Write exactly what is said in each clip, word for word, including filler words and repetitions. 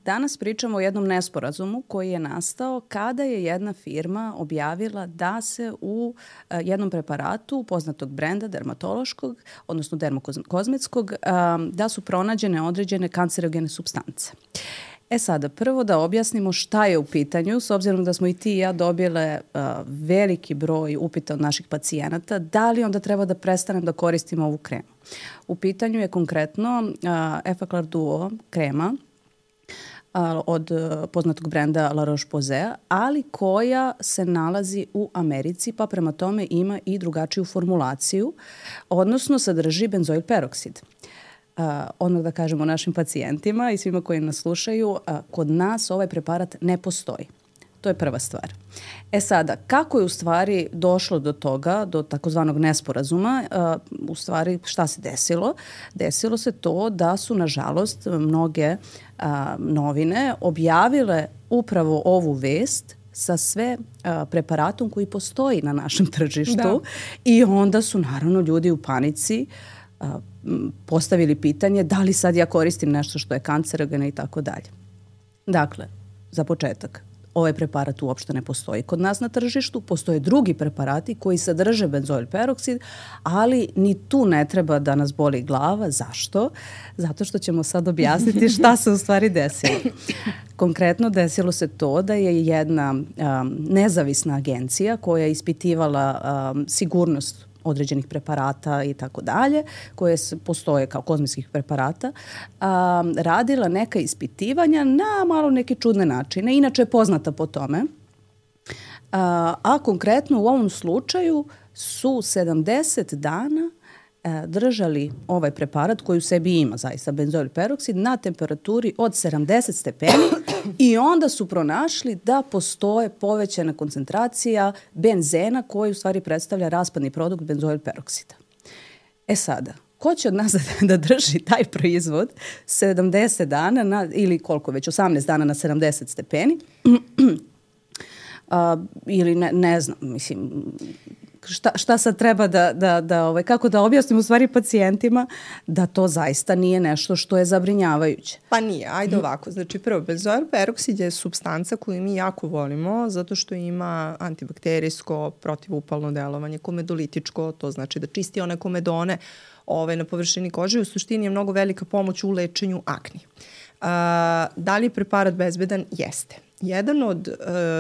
Danas pričamo o jednom nesporazumu koji je nastao kada je jedna firma objavila da se u uh, jednom preparatu poznatog brenda dermatološkog, odnosno dermokozmetskog, um, da su pronađene određene kancerogene supstance. E sada, prvo da objasnimo šta je u pitanju, s obzirom da smo i ti i ja dobile uh, veliki broj upita od naših pacijenata, da li onda treba da prestanem da koristim ovu kremu. U pitanju je konkretno uh, Effaclar Duo krema uh, od uh, poznatog brenda La Roche-Posay, ali koja se nalazi u Americi, pa prema tome ima i drugačiju formulaciju, odnosno sadrži benzoil peroksid. Uh, odmah da kažemo našim pacijentima i svima koji nas slušaju, uh, kod nas ovaj preparat ne postoji. To je prva stvar. E sada, kako je u stvari došlo do toga, do takozvanog nesporazuma, uh, u stvari šta se desilo? Desilo se to da su, nažalost, mnoge uh, novine objavile upravo ovu vest sa sve uh, preparatom koji postoji na našem tržištu da. I onda su naravno ljudi u panici uh, postavili pitanje da li sad ja koristim nešto što je kancerogeno i tako dalje. Dakle, za početak, ovaj preparat uopšte ne postoji kod nas na tržištu, postoje drugi preparati koji sadrže benzoil peroksid, ali ni tu ne treba da nas boli glava. Zašto? Zato što ćemo sad objasniti šta se u stvari desilo. Konkretno desilo se to da je jedna um, nezavisna agencija koja je ispitivala um, sigurnost određenih preparata i tako dalje, koje postoje kao kozmetskih preparata, a, radila neka ispitivanja na malo neke čudne načine. Inače je poznata po tome. A, a konkretno u ovom slučaju su sedamdeset dana a, držali ovaj preparat koji u sebi ima zaista benzoil peroksid na temperaturi od sedamdeset stepeni i onda su pronašli da postoje povećana koncentracija benzena koji u stvari predstavlja raspadni produkt benzoil peroksida. E sada, ko će od nas da drži taj proizvod sedamdeset dana na, ili koliko već, osamnaest dana na sedamdeset stepeni uh, ili ne, ne znam, mislim, Šta, šta sad treba da, da, da ovaj, kako da objasnim u stvari pacijentima da to zaista nije nešto što je zabrinjavajuće? Pa nije, ajde ovako. Znači prvo, benzoil peroksid je supstanca koju mi jako volimo zato što ima antibakterijsko, protivupalno delovanje, komedolitičko, to znači da čisti one komedone ovaj, na površini kože. U suštini je mnogo velika pomoć u lečenju akni. Uh, da li je preparat bezbedan? Jeste. Jedan od,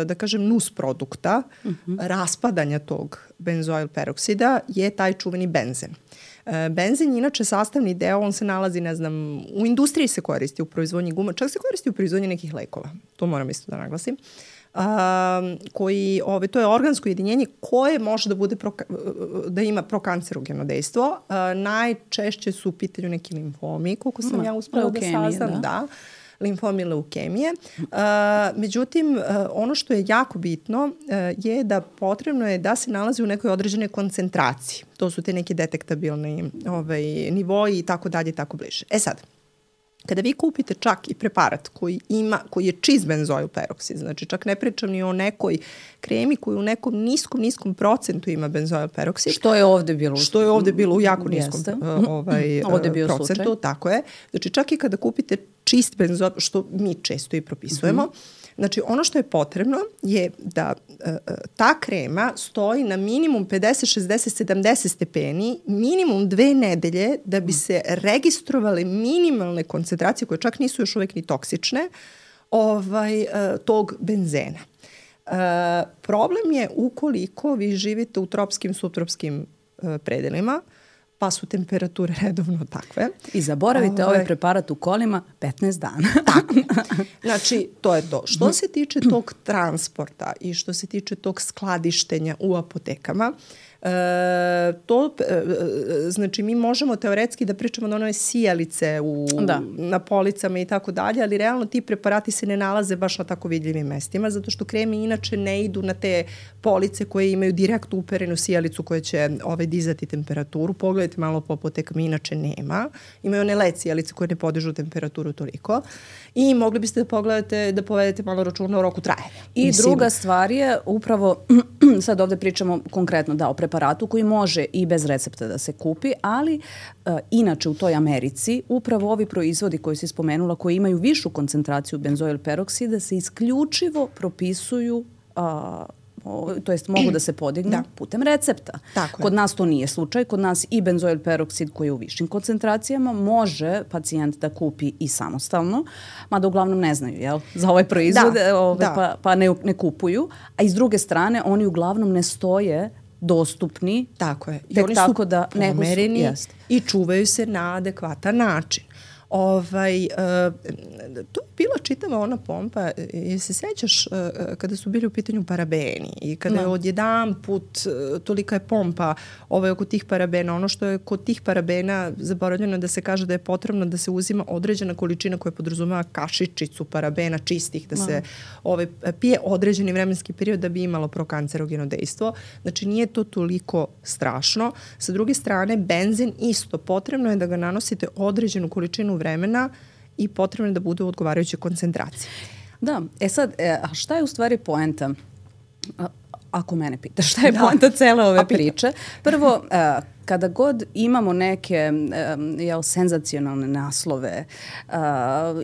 da kažem, nus produkta uh-huh. raspadanja tog benzoil peroksida je taj čuveni benzen. Benzen je inače sastavni deo, on se nalazi, ne znam, u industriji se koristi u proizvodnji guma, čak se koristi u proizvodnji nekih lekova, to moram isto da naglasim. Uh, koji, ove, to je organsko jedinjenje koje može da bude pro, da ima prokancerogeno dejstvo. Uh, najčešće su u pitanju neki limfomi, koliko sam Ma, ja uspela da saznam, da. da. limfomi, leukemije. Uh, međutim, uh, ono što je jako bitno uh, je da potrebno je da se nalazi u nekoj određenoj koncentraciji. To su te neki detektabilni ovaj, nivoji i tako dalje i tako bliže. E sad, kada vi kupite čak i preparat koji ima, koji je čist benzoil peroksid, znači čak ne pričam ni o nekoj kremi koji u nekom niskom, niskom procentu ima benzoil peroksid. Što je ovde bilo? Što je ovde bilo u jako niskom uh, ovaj, ovde bio procentu, slučaj. Tako je. Znači čak i kada kupite čist benzoil, što mi često i propisujemo, uh-huh. znači ono što je potrebno je da uh, ta krema stoji na minimum pedeset, šezdeset, sedamdeset stepeni, minimum dve nedelje da bi se registrovale minimalne koncentracije koje čak nisu još uvek ni toksične ovaj, uh, tog benzena. Uh, problem je ukoliko vi živite u tropskim, subtropskim uh, predelima, pa su temperature redovno takve. I zaboravite Ove... ovaj preparat u kolima petnaest dana. Tako. Znači, to je to. Što se tiče tog transporta i što se tiče tog skladištenja u apotekama, E, to, e, znači mi možemo teoretski da pričamo da one sijalice u, da. na policama i tako dalje, ali realno ti preparati se ne nalaze baš na tako vidljivim mestima, zato što kreme inače ne idu na te police koje imaju direktno uperenu sijalicu koja će ovaj, dizati temperaturu. Pogledajte pogledajte malo po apotekama, inače nema. Imaju one led sijalice koje ne podižu temperaturu toliko. I mogli biste da pogledate, da povedete malo računa o roku trajanja. I Mislim, druga stvar je upravo, sad ovde pričamo konkretno da o preparatu koji može i bez recepta da se kupi, ali uh, inače u toj Americi upravo ovi proizvodi koji si spomenula, koji imaju višu koncentraciju benzoil peroksida, se isključivo propisuju uh, O, to jest mogu da se podignu da. putem recepta. Tako kod je. nas to nije slučaj. Kod nas i benzoil peroksid koji je u višim koncentracijama može pacijent da kupi i samostalno, mada uglavnom ne znaju jel, za ovaj proizvod da. ove, da. pa, pa ne, ne kupuju. A iz druge strane oni uglavnom ne stoje dostupni. Tako je. I tek oni tako su da pomereni i čuvaju se na adekvatan način. Ovaj, uh, to je bila čitava ona pompa, je se sećaš uh, kada su bili u pitanju parabeni i kada no. je odjedan put uh, tolika je pompa ovaj, oko tih parabena. Ono što je kod tih parabena zaboravljeno da se kaže da je potrebno da se uzima određena količina koja podrazumeva kašičicu parabena čistih, da no. se ovaj, pije određeni vremenski period da bi imalo prokancerogeno dejstvo. Znači nije to toliko strašno. Sa druge strane, benzin isto. Potrebno je da ga nanosite određenu količinu vremena i potrebno je da bude u odgovarajućoj koncentraciji. Da, e sad, e, a šta je u stvari poenta? A, ako mene pitaš, šta je da. poenta cele ove priče? Prvo, e, kada god imamo neke e, jel, senzacionalne naslove e,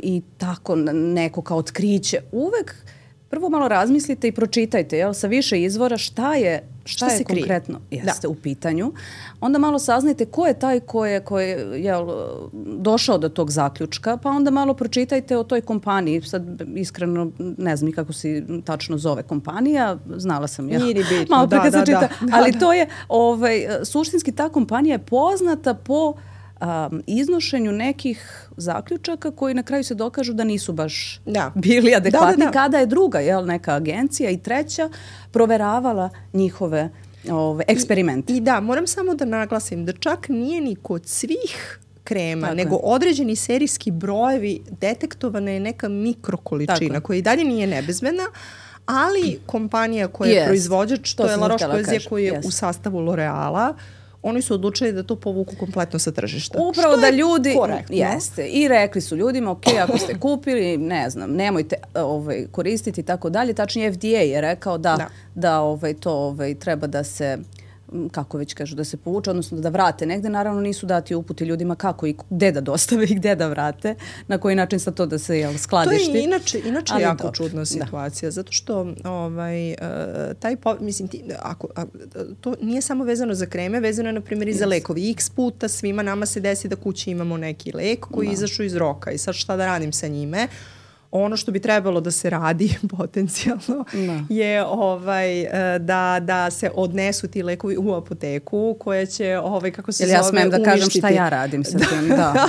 i tako neko kao otkriće, uvek prvo malo razmislite i pročitajte jel, sa više izvora šta je šta, šta je konkretno jeste da. u pitanju. Onda malo saznajte ko je taj ko je, ko je jel, došao do tog zaključka, pa onda malo pročitajte o toj kompaniji. Sad iskreno ne znam kako se tačno zove kompanija, znala sam ja. Nije ni bitno, malo da, da, da, da, da. Ali to je, ovaj, suštinski ta kompanija je poznata po Um, iznošenju nekih zaključaka koji na kraju se dokažu da nisu baš da. bili adekvatni, da, da, da. kada je druga jel, neka agencija i treća proveravala njihove ove, eksperimente. I, I da, moram samo da naglasim da čak nije ni kod svih krema, Tako nego je. određeni serijski brojevi detektovana je neka mikrokoličina koja i dalje nije nebezbedna, ali kompanija koja je yes. proizvođač, to, to je La Roche-Posay koji je yes. u sastavu L'Oreala, oni su odlučili da to povuku kompletno sa tržišta. Upravo što da ljudi, korektno. jeste, i rekli su ljudima, ok, ako ste kupili, ne znam, nemojte ovaj, koristiti i tako dalje. Tačnije F D A je rekao da, da. da ovaj, to ovaj, treba da se, kako već kažu, da se povuče, odnosno da vrate negde. Naravno nisu dati uputi ljudima kako i gde da dostave i gde da vrate, na koji način sa to da se jel, skladišti. To je inače, inače Ali jako dobro. čudna situacija, da. zato što ovaj, uh, taj, po, mislim, ti, ako, a, to nije samo vezano za kreme, vezano je na primjer i za yes. lekovi. X puta svima nama se desi da kući imamo neki lek koji da. izašao iz roka i sad šta da radim sa njime? Ono što bi trebalo da se radi potencijalno da. je ovaj, da, da se odnesu ti lekovi u apoteku koja će, ovaj, kako se Jel zove, ja smem da uništiti. kažem šta ja radim sa tim? Da.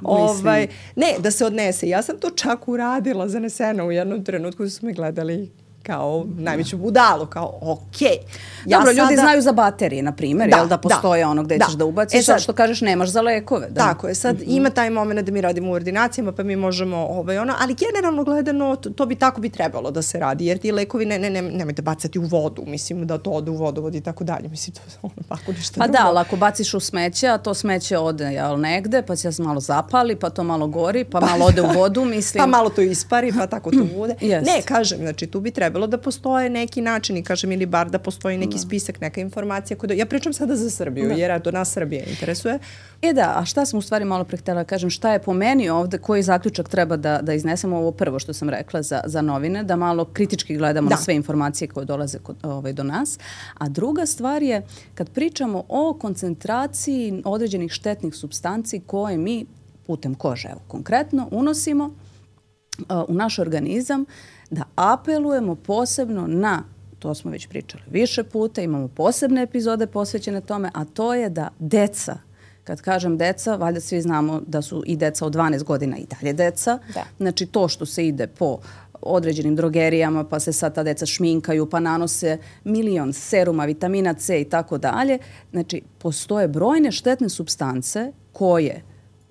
ovaj, ne, da se odnese. Ja sam to čak uradila, zanesena u jednom trenutku su me gledali kao najveću budalu, kao okej. Okay. Ja Dobro, sada... ljudi znaju za baterije, na primjer, da, jel da postoje da, ono gde da. ćeš da ubaciš, e sad, što kažeš nemaš za lekove. Da. Tako je, sad mm-hmm. ima taj moment da mi radimo u ordinacijama, pa mi možemo ovaj, ono, ali generalno gledano to, to bi tako bi trebalo da se radi, jer ti lekovi ne, ne, ne, nemojte bacati u vodu, mislim da to ode u vodovod i tako dalje, mislim to ono, tako ništa Pa drugo. da, ali ako baciš u smeće, a to smeće ode jel, negde, pa se malo zapali, pa to malo gori, pa malo ode u vodu, mislim. Pa malo to ispari, pa tako to bude. Yes. Ne, kažem, znači tu bi trebalo da postoje neki način i kažem ili bar da postoji neki da. spisak, neka informacija. Koja... Ja pričam sada za Srbiju, da. jer do nas Srbije interesuje. E da, a šta sam u stvari malo pre htjela kažem, šta je po meni ovde, koji zaključak treba da, da iznesemo, ovo prvo što sam rekla za, za novine, da malo kritički gledamo da. na sve informacije koje dolaze kod, ovaj, do nas. A druga stvar je, kad pričamo o koncentraciji određenih štetnih supstanci koje mi putem kože, evo, konkretno, unosimo uh, u naš organizam, da apelujemo posebno na, to smo već pričali više puta, imamo posebne epizode posvećene tome, a to je da deca, kad kažem deca, valjda svi znamo da su i deca od dvanaest godina i dalje deca. Da. Znači to što se ide po određenim drogerijama, pa se sad ta deca šminkaju, pa nanose milion seruma, vitamina C i tako dalje. Znači postoje brojne štetne supstance koje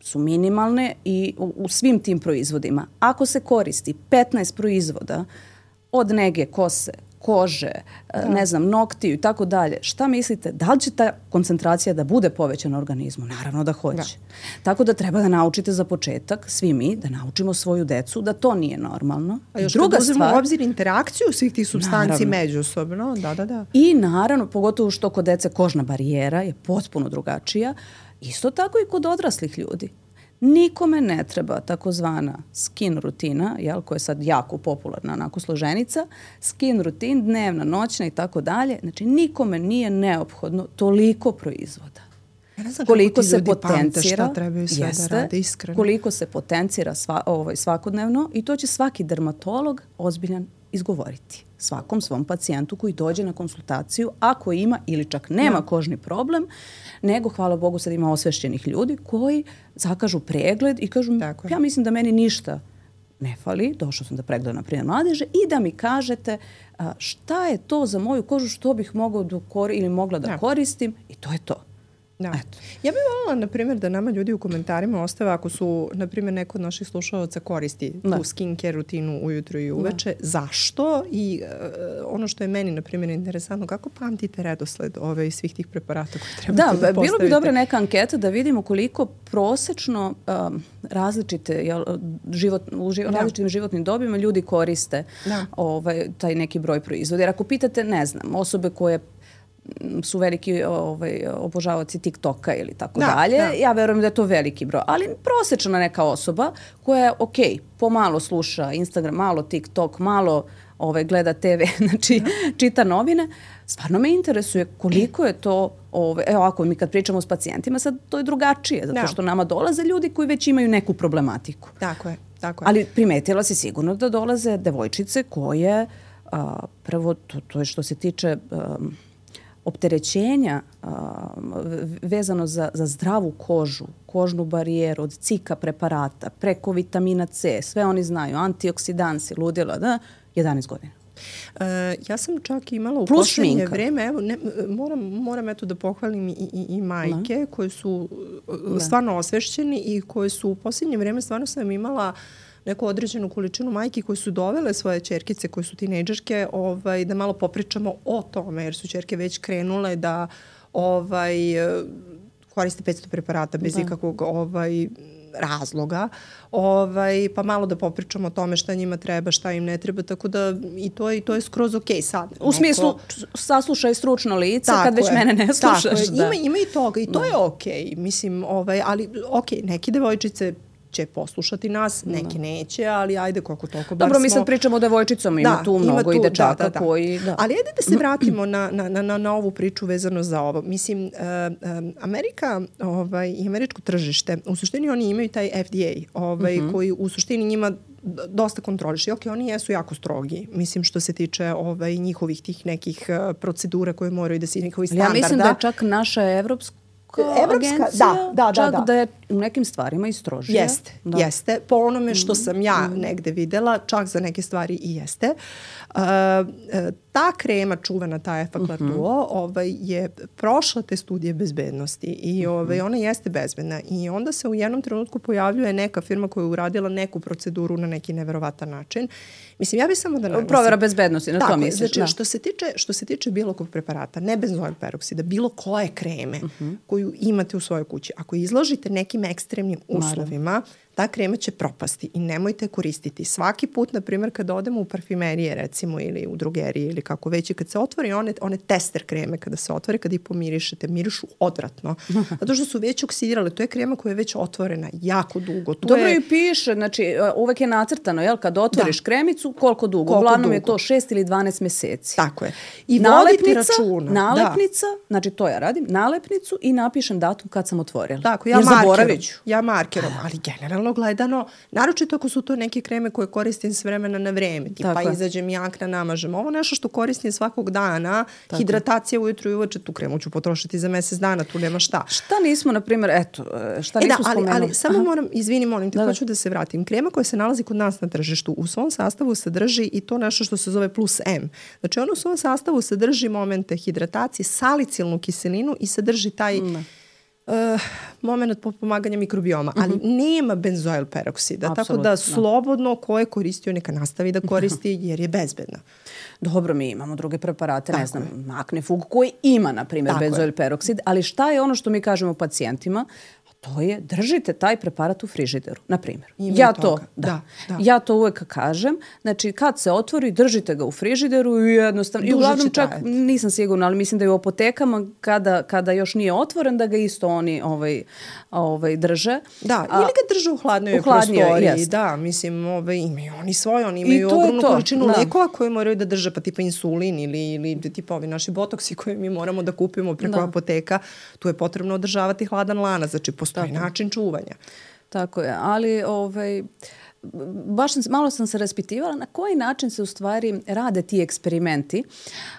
su minimalne i u, u svim tim proizvodima. Ako se koristi petnaest proizvoda od nege kose, kože, da. ne znam, noktiju i tako dalje, šta mislite, da li će ta koncentracija da bude povećana u organizmu? Naravno da hoće. Da. Tako da treba da naučite za početak, svi mi, da naučimo svoju decu da to nije normalno. A još druga kad uzmemo stvar, u obzir interakciju svih tih supstanci međusobno. Da, da, da. I naravno, pogotovo što kod dece kožna barijera je potpuno drugačija, isto tako i kod odraslih ljudi. Nikome ne treba takozvana skin rutina, jel, koja je sad jako popularna, onako složenica, skin rutin, dnevna, noćna i tako dalje. Znači, nikome nije neophodno toliko proizvoda. Ja ne znam koliko se potencira, šta trebaju sve jeste, da rade, iskreno. Koliko se potencira sva, ovaj, svakodnevno i to će svaki dermatolog ozbiljan izgovoriti svakom svom pacijentu koji dođe na konsultaciju, ako ima ili čak nema no. kožni problem, nego, hvala Bogu, sad ima osvešćenih ljudi koji zakažu pregled i kažu, ja mislim da meni ništa ne fali, došao sam da pregledam na primjer mladeže i da mi kažete a, šta je to za moju kožu što bih mogao da kor- ili mogla da no. koristim i to je to. Da. Eto. Ja bih voljela, na primjer, da nama ljudi u komentarima ostave ako su, na primjer, neko od naših slušalaca koristi da. tu skincare rutinu ujutru i uveče. Da. Zašto? I uh, ono što je meni, na primjer, interesantno, kako pamtite redosled ove svih tih preparata koje trebate da, da postavite? Da, bilo bi dobra neka anketa da vidimo koliko prosečno um, različite, jel, život, u živ, da. različitim životnim dobima ljudi koriste da. ovaj, taj neki broj proizvoda. Jer ako pitate, ne znam, osobe koje su veliki ovaj, obožavaoci TikToka ili tako da, dalje. Da. Ja verujem da je to veliki broj. Ali prosječna neka osoba koja je, ok, pomalo sluša Instagram, malo TikTok, malo ovaj, gleda te ve, znači da. čita novine, stvarno me interesuje koliko je to, ovaj, evo ako mi kad pričamo s pacijentima, sad to je drugačije, zato da. što nama dolaze ljudi koji već imaju neku problematiku. Tako je, tako je. Ali primetila si sigurno da dolaze devojčice koje, a, prvo, to, to je što se tiče a, opterećenja a, vezano za, za zdravu kožu, kožnu barijeru, od cika preparata, preko vitamina C, sve oni znaju, antioksidansi, ludila, da, jedanaest godina. Uh, ja sam čak imala u plus poslednje šminka. vreme, evo, ne, moram, moram eto da pohvalim i, i, i majke da. koje su da. stvarno osvešćeni i koje su u poslednje vreme stvarno sam imala neku određenu količinu majki koji su dovele svoje ćerkice, koje su tinejdžerke, ovaj, da malo popričamo o tome, jer su ćerke već krenule da ovaj, koriste petsto preparata bez da. ikakvog ovaj, razloga, ovaj, pa malo da popričamo o tome šta njima treba, šta im ne treba, tako da i to, i to je skroz okej sad. U smislu, saslušaj stručno lice, kad već je. mene ne slušaš. Da. Ima, ima i toga i to da. je okej, mislim, ovaj, ali okej, neki devojčice će poslušati nas, neki da. neće, ali ajde koliko toliko. Dobro, smo... mi sad pričamo o devojčicama, ima da, tu mnogo ima tu, i dečaka da, da, da. koji... Da. Ali ajde da se vratimo na, na, na, na ovu priču vezano za ovo. Mislim, uh, um, Amerika ovaj, i američko tržište, u suštini oni imaju taj F D A, ovaj, uh-huh. koji u suštini njima dosta kontroliše. Ok, oni jesu jako strogi, mislim, što se tiče ovaj, njihovih tih nekih uh, procedura koje moraju da se njihovi standarda. Ja mislim da je čak naša evropska Evropska, da, da, čak da, da. da je u nekim stvarima i strožije. Jeste, da. jeste. Po onome što sam ja mm. negde videla, čak za neke stvari i jeste. Uh, ta krema čuvena, ta Effaclar mm-hmm. Duo, ovaj, je prošla te studije bezbednosti i ovaj, ona jeste bezbedna. I onda se u jednom trenutku pojavljuje neka firma koja je uradila neku proceduru na neki neverovatan način. Mislim, ja bih samo da naglasim. Provera bezbednosti, na tako, to misliš. Znači, da. što se tiče, što se tiče bilo kog preparata, ne benzoil peroksida, bilo koje kreme mm-hmm. koju imate u svojoj kući, ako izložite nekim ekstremnim uslovima, Naravno. ta krema će propasti i nemojte koristiti. Svaki put, na primjer, kada odemo u parfimerije, recimo, ili u drogerije, ili kako već, i kad se otvori one, one tester kreme, kada se otvori, kada ih pomirišete, mirišu odvratno. Zato što su već oksidirale. To je krema koja je već otvorena jako dugo. To Dobro je... i piše, znači, uvek je nacrtano, jel, kad otvoriš da. kremicu, koliko dugo? Koliko Uglavnom dugo? je to šest ili dvanaest meseci. Tako je. I vodite računa. Nalepnica, da. znači to ja radim, nalepnicu i napišem datum kad sam otvorila. Tako, ja markerom. Ja markerom, ali generalno gledano, naročito ako su to neke kreme koje koristim s vremena na vreme, tipa Tako izađem jakna, namažem. Ovo nešto što koristim svakog dana, Tako. hidratacija ujutru i uveče, tu kremu ću potrošiti za mesec dana, tu nema šta. Šta nismo, na primjer, eto, šta e nismo da, ali, spomenuli? Ali samo Aha. moram, izvini, molim te, da, hoću da. da se vratim. Krema koja se nalazi kod nas na tržištu, u svom sastavu sadrži i to nešto što se zove plus M. Znači, ono u svom sastavu sadrži momente hidratacije, salicilnu kiselinu i sadrži taj... Ne. Uh, moment pomaganja mikrobioma, ali uh-huh. nema benzoil peroksida, Apsolutno. tako da slobodno ko je koristio neka nastavi da koristi jer je bezbedna. Dobro, mi imamo druge preparate, tako ne znam, je. Maknefug koji ima, na primjer, benzoil peroksid, ali šta je ono što mi kažemo pacijentima? To je, držite taj preparat u frižideru, na primjer. Ja to, da, da, da. ja to uvek kažem. Znači, kad se otvori, držite ga u frižideru i jednostavno... I uglavnom čak, trajati. Nisam sigurna, ali mislim da je u apotekama, kada, kada još nije otvoren, da ga isto oni ovaj, ovaj, drže. Da, ili ga drže u hladnoj prostoriji. Jest. Da, mislim, ovaj, imaju oni svoje, oni imaju ogromnu količinu da. lekova koje moraju da drže, pa tipa insulin ili, ili tipa ovi naši botoksi koje mi moramo da kupimo preko da. apoteka. Tu je potrebno održavati hladan lanac, znači postoji Tako. način čuvanja. Tako je, ali ovaj, baš sam, malo sam se raspitivala na koji način se u stvari rade ti eksperimenti.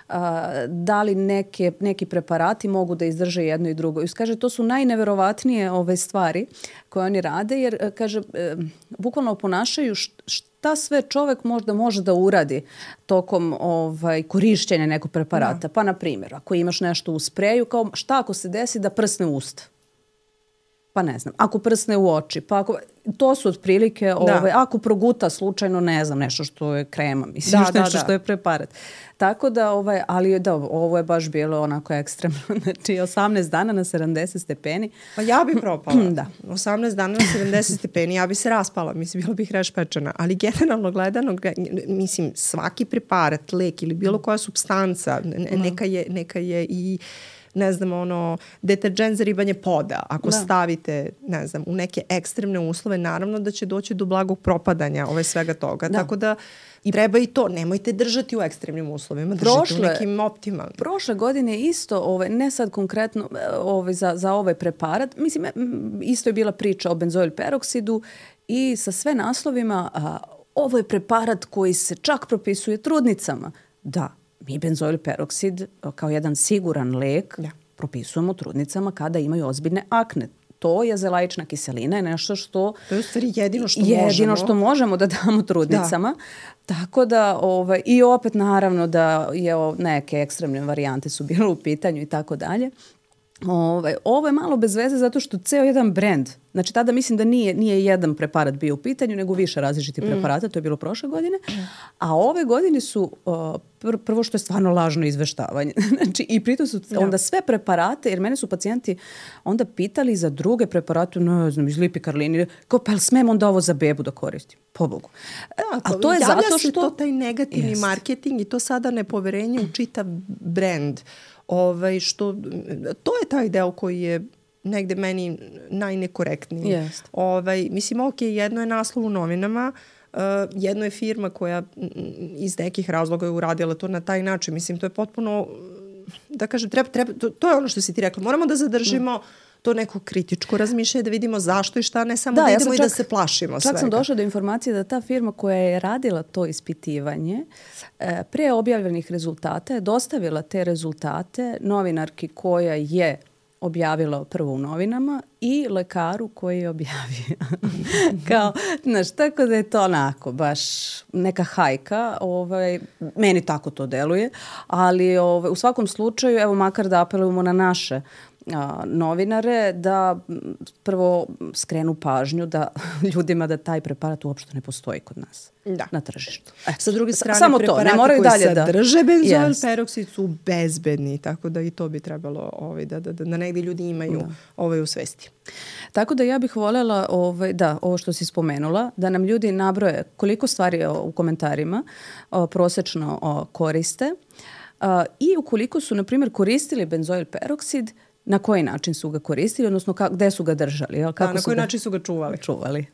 A, da li neke, neki preparati mogu da izdrže jedno i drugo. I kaže, to su najneverovatnije ove stvari koje oni rade, jer kaže, e, bukvalno oponašaju šta sve čovek možda može da uradi tokom ovaj, korišćenja nekog preparata. Da. Pa, na primjer, ako imaš nešto u spreju, kao šta ako se desi da prsne usta? Pa ne znam, ako prsne u oči, pa ako, to su otprilike, ovaj, ako proguta slučajno, ne znam, nešto što je krema, mislim, da, nešto da, što da. je preparat. Tako da, ovaj, ali da, ovo je baš bilo onako ekstremno, znači osamnaest dana na sedamdeset stepeni. Pa ja bi propala. Da. osamnaest dana na sedamdeset stepeni, ja bi se raspala, mislim, bila bih rešpečena. Ali generalno gledano, mislim, svaki preparat, lek ili bilo koja supstanca, neka je, neka je i ne znam, ono, deterđent za ribanje poda. Ako da. stavite, ne znam, u neke ekstremne uslove, naravno da će doći do blagog propadanja ove svega toga. Da. Tako da I treba i to. Nemojte držati u ekstremnim uslovima. Držite prošle, u nekim optimalnim. Prošle godine isto, ovaj, ne sad konkretno ovaj, za, za ovaj preparat, mislim, isto je bila priča o benzoil peroksidu i sa sve naslovima, a, ovo je preparat koji se čak propisuje trudnicama. Da. Mi benzoil peroksid kao jedan siguran lek ja. propisujemo trudnicama kada imaju ozbiljne akne. To je zelaična kiselina, je nešto što... To je u stvari jedino što jedino možemo. Jedino što možemo da damo trudnicama. Da. Tako da, ovaj, i opet naravno da je neke ekstremne varijante su bile u pitanju i tako dalje. Ovaj, ovo je malo bez veze zato što ceo jedan brend, znači tada mislim da nije, nije jedan preparat bio u pitanju, nego više različitih mm. preparata, to je bilo prošle godine, a ove godine su uh, pr prvo što je stvarno lažno izveštavanje. Znači i pritom su ja. onda sve preparate, jer mene su pacijenti onda pitali za druge preparate, ne znam, iz Lipikarline, kao pa jel smem onda ovo za bebu da koristim? Pobogu. Da, to, a to je zato što... to taj negativni jest. marketing i to sada nepoverenje u čitav brend. Ovaj, što, to je taj deo koji je negde meni najnekorektniji. Yes. Ovaj, mislim, ok, jedno je naslov u novinama, uh, jedno je firma koja iz nekih razloga je uradila to na taj način. Mislim, to je potpuno, da kažem, treba, treba, to, to je ono što si ti rekla. Moramo da zadržimo mm. to neko kritičko razmišljanje, da vidimo zašto i šta, ne samo da, da idemo ja i čak, da se plašimo čak svega. Čak sam došla do informacije da ta firma koja je radila to ispitivanje pre objavljenih rezultata je dostavila te rezultate novinarki koja je objavila prvo u novinama i lekaru koji je objavio. Kao, znaš, tako da je to onako baš neka hajka. Ovaj, meni tako to deluje. Ali ovaj, u svakom slučaju, evo makar da apelujemo na naše a, novinare da prvo skrenu pažnju da ljudima da taj preparat uopšte ne postoji kod nas da. na tržištu. E, sa druge strane, samo preparati to, ne koji dalje sadrže da... benzoil yes. peroksid su bezbedni, tako da i to bi trebalo ovaj, da, da, da, da negdje ljudi imaju da. ovaj u svesti. Tako da ja bih voljela, ovaj, da, ovo što si spomenula, da nam ljudi nabroje koliko stvari o, u komentarima o, prosečno o, koriste a, i ukoliko su, na primjer, koristili benzoil peroksid, na koji način su ga koristili, odnosno ka, gde su ga držali. Jel? Kako da, na koji ga... način su ga čuvali. Čuvali.